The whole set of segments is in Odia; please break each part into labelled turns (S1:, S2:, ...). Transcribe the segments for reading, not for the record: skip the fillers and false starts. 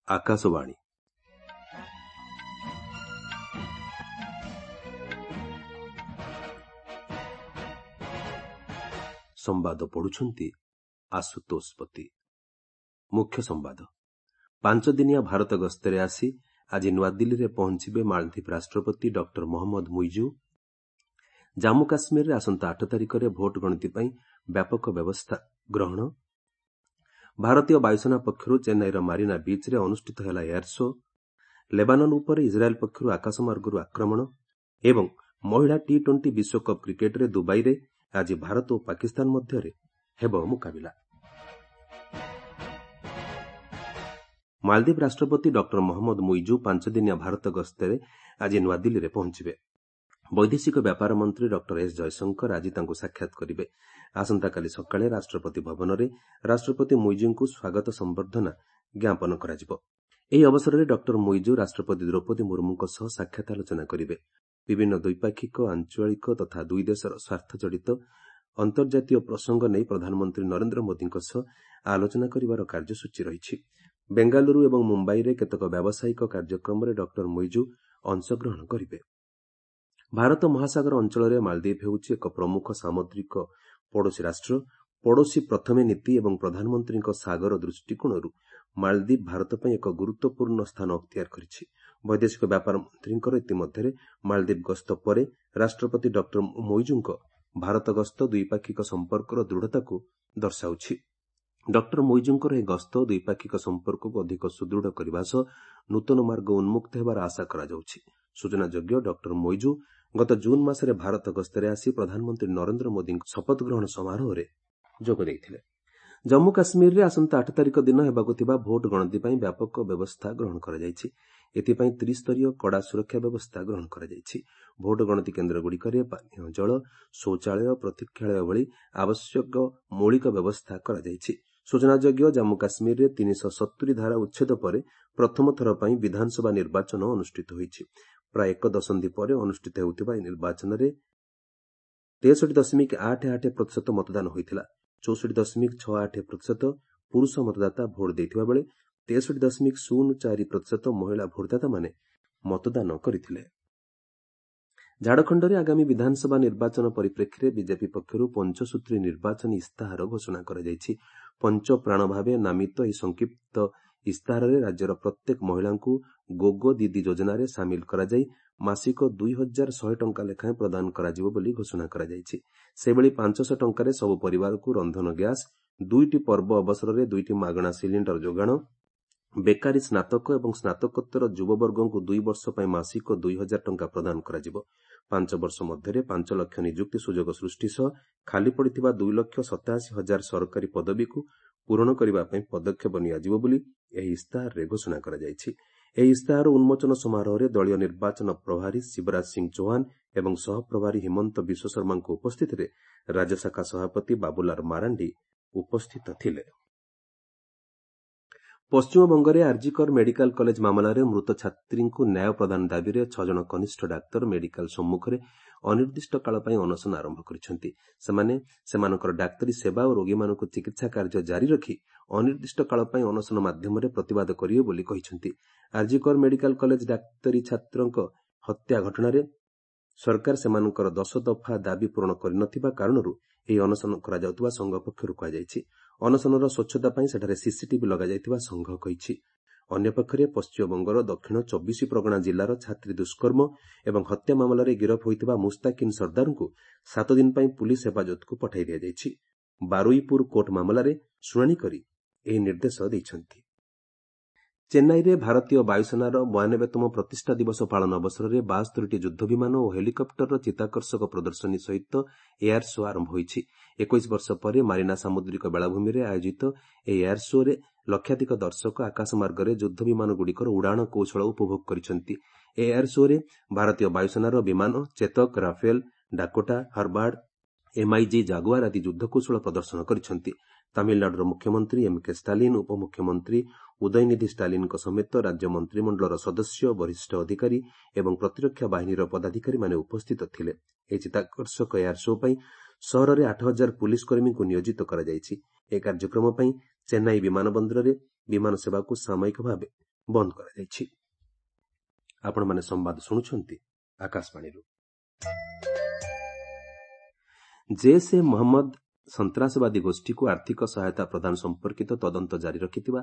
S1: ଆକାଶବାଣୀ। ସମ୍ବାଦ ପଢୁଛନ୍ତି ଆଶୁତୋଷ ପତି। ମୁଖ୍ୟ ସମ୍ବାଦ। 5 ଦିନିଆ ଭାରତ ଗସ୍ତରେ ଆସି ଆଜି ନୂଆଦିଲ୍ଲୀରେ ପହଞ୍ଚିବେ ମାଳଦ୍ୱୀପ ରାଷ୍ଟ୍ରପତି ଡକ୍ଟର ମହମ୍ମଦ ମୁଇଜୁ। ଜାମ୍ମୁ କାଶ୍ମୀରରେ ଆସନ୍ତା 8 ତାରିଖରେ ଭୋଟ ଗଣତି ପାଇଁ ବ୍ୟାପକ ବ୍ୟବସ୍ଥା ଗ୍ରହଣ। ଭାରତୀୟ ବାୟୁସେନା ପକ୍ଷରୁ ଚେନ୍ନାଇର ମାରିନା ବିଚ୍ରେ ଅନୁଷ୍ଠିତ ହେଲା ଏୟାର ଶୋ। ଲେବାନନ ଉପରେ ଇସ୍ରାଏଲ୍ ପକ୍ଷରୁ ଆକାଶମାର୍ଗରୁ ଆକ୍ରମଣ ଏବଂ ମହିଳା ଟି 20 ବିଶ୍ୱକପ୍ କ୍ରିକେଟରେ ଦୁବାଇରେ ଆଜି ଭାରତ ଓ ପାକିସ୍ତାନ ମଧ୍ୟରେ ହେବ ମୁକାବିଲା। ମାଳଦ୍ୱୀପ ରାଷ୍ଟ୍ରପତି ଡକ୍ଟର ମହମ୍ମଦ ମୁଇଜୁ 5 ଦିନିଆ ଭାରତ ଗସ୍ତରେ ଆଜି ନୂଆଦିଲ୍ଲୀରେ ପହଞ୍ଚିବେ। ବୈଦେଶିକ ବ୍ୟାପାର ମନ୍ତ୍ରୀ ଡକ୍ଟର ଏସ୍ ଜୟଶଙ୍କର ଆଜି ତାଙ୍କୁ ସାକ୍ଷାତ କରିବେ। ଆସନ୍ତାକାଲି ସକାଳେ ରାଷ୍ଟ୍ରପତି ଭବନରେ ରାଷ୍ଟ୍ରପତି ମୁଇଜୁଙ୍କୁ ସ୍ୱାଗତ ସମ୍ବର୍ଦ୍ଧନା ଜ୍ଞାପନ କରାଯିବ। ଏହି ଅବସରରେ ଡକ୍ଟର ମୁଇଜୁ ରାଷ୍ଟ୍ରପତି ଦ୍ରୌପଦୀ ମୁର୍ମୁଙ୍କ ସହ ସାକ୍ଷାତ ଆଲୋଚନା କରିବେ। ବିଭିନ୍ନ ଦ୍ୱିପାକ୍ଷିକ, ଆଞ୍ଚଳିକ ତଥା ଦୁଇ ଦେଶର ସ୍ୱାର୍ଥ ଜଡ଼ିତ ଅନ୍ତର୍ଜାତୀୟ ପ୍ରସଙ୍ଗ ନେଇ ପ୍ରଧାନମନ୍ତ୍ରୀ ନରେନ୍ଦ୍ର ମୋଦିଙ୍କ ସହ ଆଲୋଚନା କରିବାର କାର୍ଯ୍ୟସୂଚୀ ରହିଛି। ବେଙ୍ଗାଲୁରୁ ଏବଂ ମୁମ୍ବାଇରେ କେତେକ ବ୍ୟାବସାୟିକ କାର୍ଯ୍ୟକ୍ରମରେ ଡକ୍ଟର ମୁଇଜୁ ଅଂଶଗ୍ରହଣ କରିବେ। ଭାରତ ମହାସାଗର ଅଞ୍ଚଳରେ ମାଳଦ୍ୱୀପ ହେଉଛି ଏକ ପ୍ରମୁଖ ସାମୁଦ୍ରିକ ପଡ଼ୋଶୀ ରାଷ୍ଟ୍ର। ପଡ଼ୋଶୀ ପ୍ରଥମେ ନୀତି ଏବଂ ପ୍ରଧାନମନ୍ତ୍ରୀଙ୍କ ସାଗର ଦୃଷ୍ଟିକୋଣରୁ ମାଳଦ୍ୱୀପ ଭାରତ ପାଇଁ ଏକ ଗୁରୁତ୍ୱପୂର୍ଣ୍ଣ ସ୍ଥାନ ଅକ୍ତିଆର କରିଛି। ବୈଦେଶିକ ବ୍ୟାପାର ମନ୍ତ୍ରୀଙ୍କର ଇତିମଧ୍ୟରେ ମାଳଦ୍ୱୀପ ଗସ୍ତ ପରେ ରାଷ୍ଟ୍ରପତି ଡକ୍ଟର ମୋଇଜୁଙ୍କ ଭାରତ ଗସ୍ତ ଦ୍ୱିପାକ୍ଷିକ ସମ୍ପର୍କର ଦୃଢ଼ତାକୁ ଦର୍ଶାଉଛି। ଡକ୍ଟର ମୋଇଜୁଙ୍କର ଏହି ଗସ୍ତ ଦ୍ୱିପାକ୍ଷିକ ସମ୍ପର୍କକୁ ଅଧିକ ସୁଦୃଢ଼ କରିବା ସହ ନୂତନ ମାର୍ଗ ଉନ୍ମୁକ୍ତ ହେବାର ଆଶା କରାଯାଉଛି। ସୂଚନାଯୋଗ୍ୟ, ଡକ୍ଟର ମୋଇଜୁ ଗତ ଜୁନ୍ ମାସରେ ଭାରତ ଗସ୍ତରେ ଆସି ପ୍ରଧାନମନ୍ତ୍ରୀ ନରେନ୍ଦ୍ର ମୋଦିଙ୍କ ଶପଥ ଗ୍ରହଣ ସମାରୋହରେ ଯୋଗ ଦେଇଥିଲେ। ଜମ୍ମୁ କାଶ୍ମୀରରେ ଆସନ୍ତା 8 ତାରିଖ ଦିନ ହେବାକୁ ଥିବା ଭୋଟ ଗଣତି ପାଇଁ ବ୍ୟାପକ ବ୍ୟବସ୍ଥା ଗ୍ରହଣ କରାଯାଇଛି। ଏଥିପାଇଁ ତ୍ରିସ୍ତରୀୟ କଡ଼ା ସୁରକ୍ଷା ବ୍ୟବସ୍ଥା ଗ୍ରହଣ କରାଯାଇଛି। ଭୋଟ ଗଣତି କେନ୍ଦ୍ରଗୁଡ଼ିକରେ ପାନୀୟ ଜଳ, ଶୌଚାଳୟ, ପ୍ରତୀକ୍ଷାଳୟ ଭଳି ଆବଶ୍ୟକ ମୌଳିକ ବ୍ୟବସ୍ଥା କରାଯାଇଛି। ସୂଚନାଯୋଗ୍ୟ, ଜାମ୍ମୁ କାଶ୍ମୀରରେ 370 ଧାରା ଉଚ୍ଛେଦ ପରେ ପ୍ରଥମ ଥର ପାଇଁ ବିଧାନସଭା ନିର୍ବାଚନ ଅନୁଷ୍ଠିତ ହୋଇଛି। ପ୍ରାୟ ଏକ ଦଶନ୍ଧି ପରେ ଅନୁଷ୍ଠିତ ହେଉଥିବା ଏହି ନିର୍ବାଚନରେ 63.88% ମତଦାନ ହୋଇଥିଲା। 64.68% ପୁରୁଷ ମତଦାତା ଭୋଟ ଦେଇଥିବା ବେଳେ 63.04% ମହିଳା ଭୋଟଦାତାମାନେ ମତଦାନ କରିଥିଲେ। ଝାଡ଼ଖଣ୍ଡରେ ଆଗାମୀ ବିଧାନସଭା ନିର୍ବାଚନ ପରିପ୍ରେକ୍ଷୀରେ ବିଜେପି ପକ୍ଷରୁ ପଞ୍ଚସୂତ୍ରୀ ନିର୍ବାଚନୀ ଇସ୍ତାହାର ଘୋଷଣା କରାଯାଇଛି। ପଞ୍ଚପ୍ରାଣ ଭାବେ ନାମିତ ଏହି ସଂକ୍ଷିପ୍ତ ଇସ୍ତାହାରରେ ରାଜ୍ୟର ପ୍ରତ୍ୟେକ ମହିଳାଙ୍କୁ ଗୋଗୋ ଦିଦି ଯୋଜନାରେ ସାମିଲ କରାଯାଇ ମାସିକ 2100 ଟଙ୍କା ଲେଖାଏଁ ପ୍ରଦାନ କରାଯିବ ବୋଲି ଘୋଷଣା କରାଯାଇଛି। ସେହିଭଳି 500 ଟଙ୍କାରେ ସବୁ ପରିବାରକୁ ରନ୍ଧନ ଗ୍ୟାସ୍, ଦୁଇଟି ପର୍ବ ଅବସରରେ ଦୁଇଟି ମାଗଣା ସିଲିଣ୍ଡର ଯୋଗାଣ, ବେକାରୀ ସ୍ନାତକ ଏବଂ ସ୍ନାତକୋତ୍ତର ଯୁବବର୍ଗଙ୍କୁ 2 ବର୍ଷ ପାଇଁ ମାସିକ 2000 ଟଙ୍କା ପ୍ରଦାନ କରାଯିବ। 5 ବର୍ଷ ମଧ୍ୟରେ 5 ଲକ୍ଷ ନିଯୁକ୍ତି ସୁଯୋଗ ସୃଷ୍ଟି ସହ ଖାଲି ପଡ଼ିଥିବା 2,87,000 ସରକାରୀ ପଦବୀକୁ ପୂରଣ କରିବା ପାଇଁ ପଦକ୍ଷେପ ନିଆଯିବ ବୋଲି ଏହି ଇସ୍ତାହାରରେ ଘୋଷଣା କରାଯାଇଛି। ଏହି ଇସ୍ତାହାର ଉନ୍ମୋଚନ ସମାରୋହରେ ଦଳୀୟ ନିର୍ବାଚନ ପ୍ରଭାରୀ ଶିବରାଜ ସିଂ ଚୌହାନ ଏବଂ ସହପ୍ରଭାରୀ ହିମନ୍ତ ବିଶ୍ୱଶର୍ମାଙ୍କ ଉପସ୍ଥିତିରେ ରାଜ୍ୟ ଶାଖା ସଭାପତି ବାବୁଲାଲ ମାରାଣ୍ଡି ଉପସ୍ଥିତ ଥିଲେ। ପଶ୍ଚିମବଙ୍ଗରେ ଆର୍ଜିକର ମେଡିକାଲ କଲେଜ ମାମଲାରେ ମୃତ ଛାତ୍ରୀଙ୍କୁ ନ୍ୟାୟ ପ୍ରଦାନ ଦାବିରେ 6 ଜଣ କନିଷ୍ଠ ଡାକ୍ତର ମେଡିକାଲ ସମ୍ମୁଖରେ ଅନିର୍ଦ୍ଦିଷ୍ଟ କାଳ ପାଇଁ ଅନଶନ ଆରମ୍ଭ କରିଛନ୍ତି। ସେମାନେ ସେମାନଙ୍କର ଡାକ୍ତରୀ ସେବା ଓ ରୋଗୀମାନଙ୍କୁ ଚିକିତ୍ସା କାର୍ଯ୍ୟ ଜାରି ରଖି ଅନିର୍ଦ୍ଦିଷ୍ଟ କାଳ ପାଇଁ ଅନଶନ ମାଧ୍ୟମରେ ପ୍ରତିବାଦ କରିବେ ବୋଲି କହିଛନ୍ତି। ଆର୍ଜିକର ମେଡିକାଲ କଲେଜ ଡାକ୍ତରୀ ଛାତ୍ରଙ୍କ ହତ୍ୟା ଘଟଣାରେ ସରକାର ସେମାନଙ୍କର 10 ଦଫା ଦାବି ପୂରଣ କରିନଥିବା କାରଣରୁ ଏହି ଅନଶନ କରାଯାଉଥିବା ସଂଘ ପକ୍ଷରୁ କୁହାଯାଇଛି। ଅନଶନର ସ୍ୱଚ୍ଛତା ପାଇଁ ସେଠାରେ ସିସିଟିଭି ଲଗାଯାଇଥିବା ସଂଘ କହିଛି। ଅନ୍ୟପକ୍ଷରେ ପଶ୍ଚିମବଙ୍ଗର ଦକ୍ଷିଣ 24 ପ୍ରଗଣା ଜିଲ୍ଲାର ଛାତ୍ରୀ ଦୁଷ୍କର୍ମ ଏବଂ ହତ୍ୟା ମାମଲାରେ ଗିରଫ ହୋଇଥିବା ମୁସ୍ତାକିନ୍ ସର୍ଦ୍ଦାରଙ୍କୁ 7 ଦିନ ପାଇଁ ପୁଲିସ୍ ହେଫାଜତକୁ ପଠାଇ ଦିଆଯାଇଛି। ବାରୁଇପୁର କୋର୍ଟ ମାମଲାରେ ଶୁଣାଣି କରି ଏହି ନିର୍ଦ୍ଦେଶ ଦେଇଛନ୍ତି। ଚେନ୍ନାଇରେ ଭାରତୀୟ ବାୟୁସେନାର 92ତମ ପ୍ରତିଷ୍ଠା ଦିବସ ପାଳନ ଅବସରରେ 72ଟି ଯୁଦ୍ଧ ବିମାନ ଓ ହେଲିକପ୍ଟରର ଚିତ୍ତାକର୍ଷକ ପ୍ରଦର୍ଶନୀ ସହିତ ଏୟାର ଶୋ ଆରମ୍ଭ ହୋଇଛି। 21 ବର୍ଷ ପରେ ମାରିନା ସାମୁଦ୍ରିକ ବେଳାଭୂମିରେ ଆୟୋଜିତ ଏହି ଏୟାର ଶୋରେ ଲକ୍ଷାଧିକ ଦର୍ଶକ ଆକାଶମାର୍ଗରେ ଯୁଦ୍ଧ ବିମାନଗୁଡ଼ିକର ଉଡ଼ାଣ କୌଶଳ ଉପଭୋଗ କରିଛନ୍ତି। ଏହି ଏୟାର ଶୋରେ ଭାରତୀୟ ବାୟୁସେନାର ବିମାନ Chetak, Rafale, Dakota, Harvard, MiG, Jaguar ଆଦି ଯୁଦ୍ଧକୌଶଳ ପ୍ରଦର୍ଶନ କରିଛନ୍ତି। ତାମିଲନାଡୁର ମୁଖ୍ୟମନ୍ତ୍ରୀ ଏମ୍କେ ଷ୍ଟାଲିନ୍, ଉପମୁଖ୍ୟମନ୍ତ୍ରୀ ଉଦୟନିଧି ଷ୍ଟାଲିନ୍ଙ୍କ ସମେତ ରାଜ୍ୟ ମନ୍ତ୍ରିମଣ୍ଡଳର ସଦସ୍ୟ, ବରିଷ୍ଠ ଅଧିକାରୀ ଏବଂ ପ୍ରତିରକ୍ଷା ବାହିନୀର ପଦାଧିକାରୀମାନେ ଉପସ୍ଥିତ ଥିଲେ। ଏହି ଚିତ୍ତାକର୍ଷକ ଏୟାର ଶୋ ପାଇଁ ସହରରେ 8000 ପୁଲିସ୍ କର୍ମୀଙ୍କୁ ନିୟୋଜିତ କରାଯାଇଛି। ଏହି କାର୍ଯ୍ୟକ୍ରମ ପାଇଁ ଚେନ୍ନାଇ ବିମାନ ବନ୍ଦରରେ ବିମାନ ସେବାକୁ ସାମୟିକ ଭାବେ ବନ୍ଦ କରାଯାଇଛି। ଆପଣମାନେ ସମ୍ବାଦ ଶୁଣୁଛନ୍ତି ଆକାଶବାଣୀରୁ। ଜୈସ ଏ ମହମ୍ମଦ ସନ୍ତାସବାଦୀ ଗୋଷ୍ଠୀକୁ ଆର୍ଥିକ ସହାୟତା ପ୍ରଦାନ ସମ୍ପର୍କିତ ତଦନ୍ତ ଜାରି ରଖିଥିବା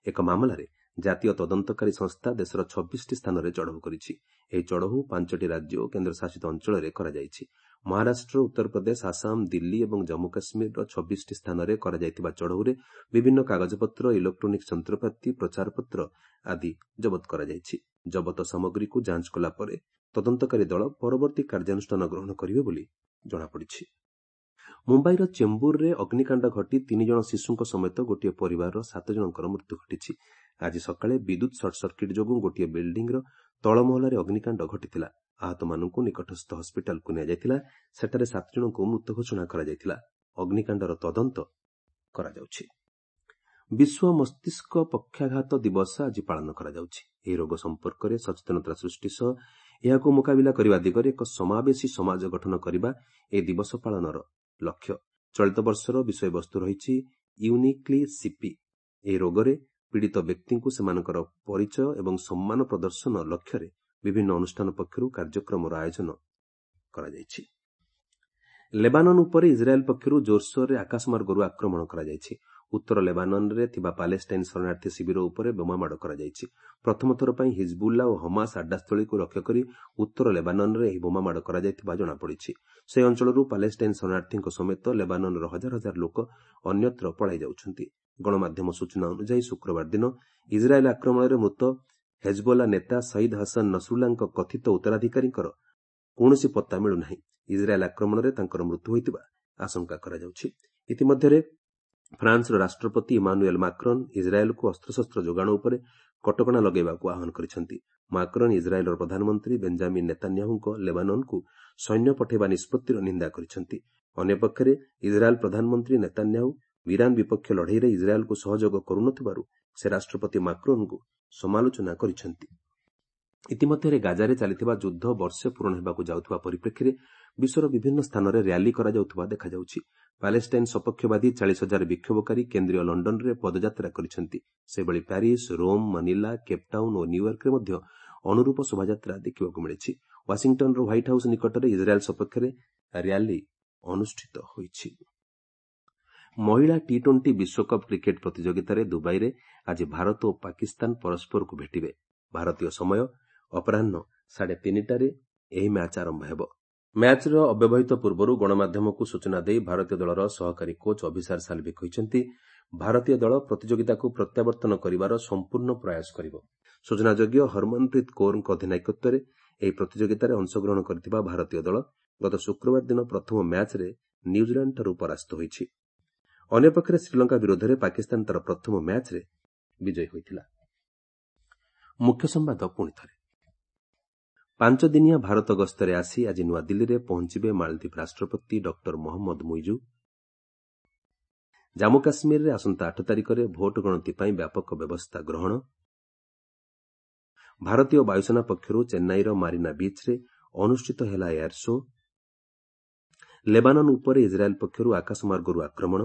S1: ଏକ ମାମଲାରେ ଜାତୀୟ ତଦନ୍ତକାରୀ ସଂସ୍ଥା ଦେଶର 26ଟି ସ୍ଥାନରେ ଚଢ଼ଉ କରିଛି। ଏହି ଚଢ଼ଉ 5ଟି ରାଜ୍ୟ ଓ କେନ୍ଦ୍ରଶାସିତ ଅଞ୍ଚଳରେ କରାଯାଇଛି। ମହାରାଷ୍ଟ୍ର, ଉତ୍ତରପ୍ରଦେଶ, ଆସାମ, ଦିଲ୍ଲୀ ଏବଂ ଜମ୍ମୁ କାଶ୍ମୀରର 26ଟି ସ୍ଥାନରେ କରାଯାଇଥିବା ଚଢ଼ଉରେ ବିଭିନ୍ନ କାଗଜପତ୍ର, ଇଲେକ୍ଟ୍ରୋନିକ୍ସ ଯନ୍ତ୍ରପାତି, ପ୍ରଚାରପତ୍ର ଆଦି ଜବତ କରାଯାଇଛି। ଜବତ ସାମଗ୍ରୀକୁ ଯାଞ୍ଚ କଲା ପରେ ତଦନ୍ତକାରୀ ଦଳ ପରବର୍ତ୍ତୀ କାର୍ଯ୍ୟାନୁଷ୍ଠାନ ଗ୍ରହଣ କରିବେ ବୋଲି ଜଣାପଡ଼ିଛି। ମୁମ୍ବାଇର ଚେମ୍ବୁରରେ ଅଗ୍ନିକାଣ୍ଡ ଘଟି 3 ଜଣ ଶିଶୁଙ୍କ ସମେତ ଗୋଟିଏ ପରିବାରର 7 ଜଣଙ୍କର ମୃତ୍ୟୁ ଘଟିଛି। ଆଜି ସକାଳେ ବିଦ୍ୟୁତ୍ ସର୍ଟସର୍କିଟ୍ ଯୋଗୁଁ ଗୋଟିଏ ବିଲ୍ଡିଂର ତଳମହଲାରେ ଅଗ୍ନିକାଣ୍ଡ ଘଟିଥିଲା। ଆହତମାନଙ୍କୁ ନିକଟସ୍ଥ ହସ୍ପିଟାଲକୁ ନିଆଯାଇଥିଲା। ସେଠାରେ 7 ଜଣଙ୍କୁ ମୃତ ଘୋଷଣା କରାଯାଇଥିଲା। ଅଗ୍ନିକାଣ୍ଡର ତଦନ୍ତ କରାଯାଉଛି। ବିଶ୍ୱ ମସ୍ତିଷ୍କ ପକ୍ଷାଘାତ ଦିବସ ଆଜି ପାଳନ କରାଯାଉଛି। ଏହି ରୋଗ ସମ୍ପର୍କରେ ସଚେତନତା ସୃଷ୍ଟି ସହ ଏହାକୁ ମୁକାବିଲା କରିବା ଦିଗରେ ଏକ ସମାବେଶୀ ସମାଜ ଗଠନ କରିବା ଏହି ଦିବସ ପାଳନର ଲକ୍ଷ୍ୟ। ଚଳିତ ବର୍ଷର ବିଷୟବସ୍ତୁ ରହିଛି ୟୁନିକ୍ଲି ସିପି। ଏହି ରୋଗରେ ପୀଡ଼ିତ ବ୍ୟକ୍ତିଙ୍କୁ ସେମାନଙ୍କର ପରିଚୟ ଏବଂ ସମ୍ମାନ ପ୍ରଦର୍ଶନ ଲକ୍ଷ୍ୟରେ ବିଭିନ୍ନ ଅନୁଷ୍ଠାନ ପକ୍ଷରୁ କାର୍ଯ୍ୟକ୍ରମର ଆୟୋଜନ କରାଯାଇଛି। ଲେବାନନ ଉପରେ ଇସ୍ରାଏଲ୍ ପକ୍ଷରୁ ଜୋରସୋରରେ ଆକାଶମାର୍ଗରୁ ଆକ୍ରମଣ କରାଯାଇଛି। ଉତ୍ତର ଲେବାନନରେ ଥିବା ପାଲେଷ୍ଟାଇନ୍ ଶରଣାର୍ଥୀ ଶିବିର ଉପରେ ବୋମାମାଡ଼ କରାଯାଇଛି। ପ୍ରଥମ ଥର ପାଇଁ ହିଜବୁଲ୍ଲା ଓ ହମାସ ଆଡ୍ଡାସ୍ଥଳୀକୁ ଲକ୍ଷ୍ୟ କରି ଉତ୍ତର ଲେବାନନରେ ଏହି ବୋମାମାଡ଼ କରାଯାଇଥିବା ଜଣାପଡ଼ିଛି। ସେହି ଅଞ୍ଚଳରୁ ପାଲେଷ୍ଟାଇନ୍ ଶରଣାର୍ଥୀଙ୍କ ସମେତ ଲେବାନନର ହଜାର ହଜାର ଲୋକ ଅନ୍ୟତ୍ର ପଳାଇ ଯାଉଛନ୍ତି। ଗଣମାଧ୍ୟମ ସୂଚନା ଅନୁଯାୟୀ ଶୁକ୍ରବାର ଦିନ ଇସ୍ରାଏଲ୍ ଆକ୍ରମଣରେ ମୃତ ହେଜବୋଲା ନେତା ସଇଦ୍ ହସନ ନସରୁଲ୍ଲାଙ୍କ କଥିତ ଉତ୍ତରାଧିକାରୀଙ୍କର କୌଣସି ପତ୍ତା ମିଳୁନାହିଁ। ଇସ୍ରାଏଲ୍ ଆକ୍ରମଣରେ ତାଙ୍କର ମୃତ୍ୟୁ ହୋଇଥିବା ଆଶଙ୍କା କରାଯାଉଛି। ଇତିମଧ୍ୟରେ ଫ୍ରାନ୍ସର ରାଷ୍ଟ୍ରପତି ଇମାନୁଏଲ୍ ମାକ୍ରନ୍ ଇସ୍ରାଏଲ୍କୁ ଅସ୍ତ୍ରଶସ୍ତ୍ର ଯୋଗାଣ ଉପରେ କଟକଣା ଲଗାଇବାକୁ ଆହ୍ୱାନ କରିଛନ୍ତି। ମାକ୍ରନ୍ ଇସ୍ରାଏଲ୍ର ପ୍ରଧାନମନ୍ତ୍ରୀ ବେଞ୍ଜାମିନ୍ ନେତାନ୍ୟାହୁଙ୍କ ଲେବାନନ୍କୁ ସୈନ୍ୟ ପଠାଇବା ନିଷ୍ପତ୍ତିର ନିନ୍ଦା କରିଛନ୍ତି। ଅନ୍ୟପକ୍ଷରେ ଇସ୍ରାଏଲ୍ ପ୍ରଧାନମନ୍ତ୍ରୀ ନେତାନ୍ୟାହୁ ଇରାନ୍ ବିପକ୍ଷ ଲଢ଼େଇରେ ଇସ୍ରାଏଲ୍କୁ ସହଯୋଗ କରୁନଥିବାରୁ ସେ ରାଷ୍ଟ୍ରପତି ମାକ୍ରୋନ୍ଙ୍କୁ ସମାଲୋଚନା କରିଛନ୍ତି। ଇତିମଧ୍ୟରେ ଗାଜାରେ ଚାଲିଥିବା ଯୁଦ୍ଧ ବର୍ଷେ ପୂରଣ ହେବାକୁ ଯାଉଥିବା ପରିପ୍ରେକ୍ଷୀରେ ବିଶ୍ୱର ବିଭିନ୍ନ ସ୍ଥାନରେ ର୍ୟାଲି କରାଯାଉଥିବା ଦେଖାଯାଉଛି। ପାଲେଷ୍ଟାଇନ୍ ସପକ୍ଷବାଦୀ 40,000 ବିକ୍ଷୋଭକାରୀ କେନ୍ଦ୍ରୀୟ ଲଣ୍ଡନରେ ପଦଯାତ୍ରା କରିଛନ୍ତି। ସେହିଭଳି ପ୍ୟାରିସ୍, ରୋମ୍, ମନିଲା, କେପ୍ଟାଉନ୍ ଓ ନ୍ୟୁୟର୍କରେ ମଧ୍ୟ ଅନୁରୂପ ଶୋଭାଯାତ୍ରା ଦେଖିବାକୁ ମିଳିଛି। ୱାଶିଂଟନ୍ର ହ୍ୱାଇଟ୍ ହାଉସ୍ ନିକଟରେ ଇସ୍ରାଏଲ୍ ସପକ୍ଷରେ ର୍ୟାଲି ଅନୁଷ୍ଠିତ ହୋଇଛି। ମହିଳା ଟି-20 ବିଶ୍ୱକପ୍ କ୍ରିକେଟ୍ ପ୍ରତିଯୋଗିତାରେ ଦୁବାଇରେ ଆଜି ଭାରତ ଓ ପାକିସ୍ତାନ ପରସ୍ପରକୁ ଭେଟିବେ। ଭାରତୀୟ ସମୟ ଅପରାହ୍ନ 3:30ରେ ଏହି ମ୍ୟାଚ୍ ଆରମ୍ଭ ହେବ। ମ୍ୟାଚ୍ର ଅବ୍ୟବହିତ ପୂର୍ବରୁ ଗଣମାଧ୍ୟମକୁ ସୂଚନା ଦେଇ ଭାରତୀୟ ଦଳର ସହକାରୀ କୋଚ୍ ଅଭିସାର ସାଲ୍ଭି କହିଛନ୍ତି, ଭାରତୀୟ ଦଳ ପ୍ରତିଯୋଗିତାକୁ ପ୍ରତ୍ୟାବର୍ତ୍ତନ କରିବାର ସମ୍ପୂର୍ଣ୍ଣ ପ୍ରୟାସ କରିବ। ସୂଚନାଯୋଗ୍ୟ, ହରମନପ୍ରୀତ କୌରଙ୍କ ଅଧିନାୟକତ୍ୱରେ ଏହି ପ୍ରତିଯୋଗିତାରେ ଅଂଶଗ୍ରହଣ କରିଥିବା ଭାରତୀୟ ଦଳ ଗତ ଶୁକ୍ରବାର ଦିନ ପ୍ରଥମ ମ୍ୟାଚ୍ରେ ନ୍ୟୁଜିଲାଣ୍ଡଠାରୁ ପରାସ୍ତ ହୋଇଛି। ଅନ୍ୟପକ୍ଷରେ ଶ୍ରୀଲଙ୍କା ବିରୋଧରେ ପାକିସ୍ତାନ ତା'ର ପ୍ରଥମ ମ୍ୟାଚ୍ରେ ବିଜୟୀ ହୋଇଥିଲା। ମୁଖ୍ୟ ସମ୍ବାଦ ପୁଣି ଥରେ। 5 ଦିନିଆ ଭାରତ ଗସ୍ତରେ ଆସି ଆଜି ନୂଆଦିଲ୍ଲୀରେ ପହଞ୍ଚିବେ ମାଳଦ୍ୱୀପ ରାଷ୍ଟ୍ରପତି ଡକ୍ଟର ମହମ୍ମଦ ମୁଇଜୁ। ଜାମ୍ମୁ କାଶ୍ମୀରରେ ଆସନ୍ତା 8 ତାରିଖରେ ଭୋଟ ଗଣତି ପାଇଁ ବ୍ୟାପକ ବ୍ୟବସ୍ଥା ଗ୍ରହଣ। ଭାରତୀୟ ବାୟୁସେନା ପକ୍ଷରୁ ଚେନ୍ନାଇର ମାରିନା ବିଚ୍ରେ ଅନୁଷ୍ଠିତ ହେଲା ଏୟାର ଶୋ। ଲେବାନନ ଉପରେ ଇସ୍ରାଏଲ୍ ପକ୍ଷରୁ ଆକାଶମାର୍ଗରୁ ଆକ୍ରମଣ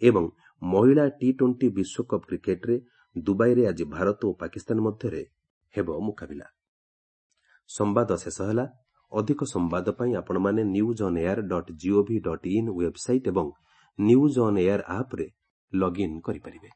S1: ଏବଂ ମହିଳା ଟି-20 ବିଶ୍ୱକପ୍ କ୍ରିକେଟ୍ରେ ଦୁବାଇରେ ଆଜି ଭାରତ ଓ ପାକିସ୍ତାନ ମଧ୍ୟରେ ହେବ ମୁକାବିଲା। ସମ୍ବାଦ ଶେଷ ହେଲା। ଅଧିକ ସମ୍ବାଦ ପାଇଁ ଆପଣମାନେ news on air dot gov dot in website ଏବଂ ନ୍ୟୁଜ୍ ଅନ୍ ଏୟାର ଆପ୍ରେ ଲଗ୍ଇନ୍ କରିପାରିବେ।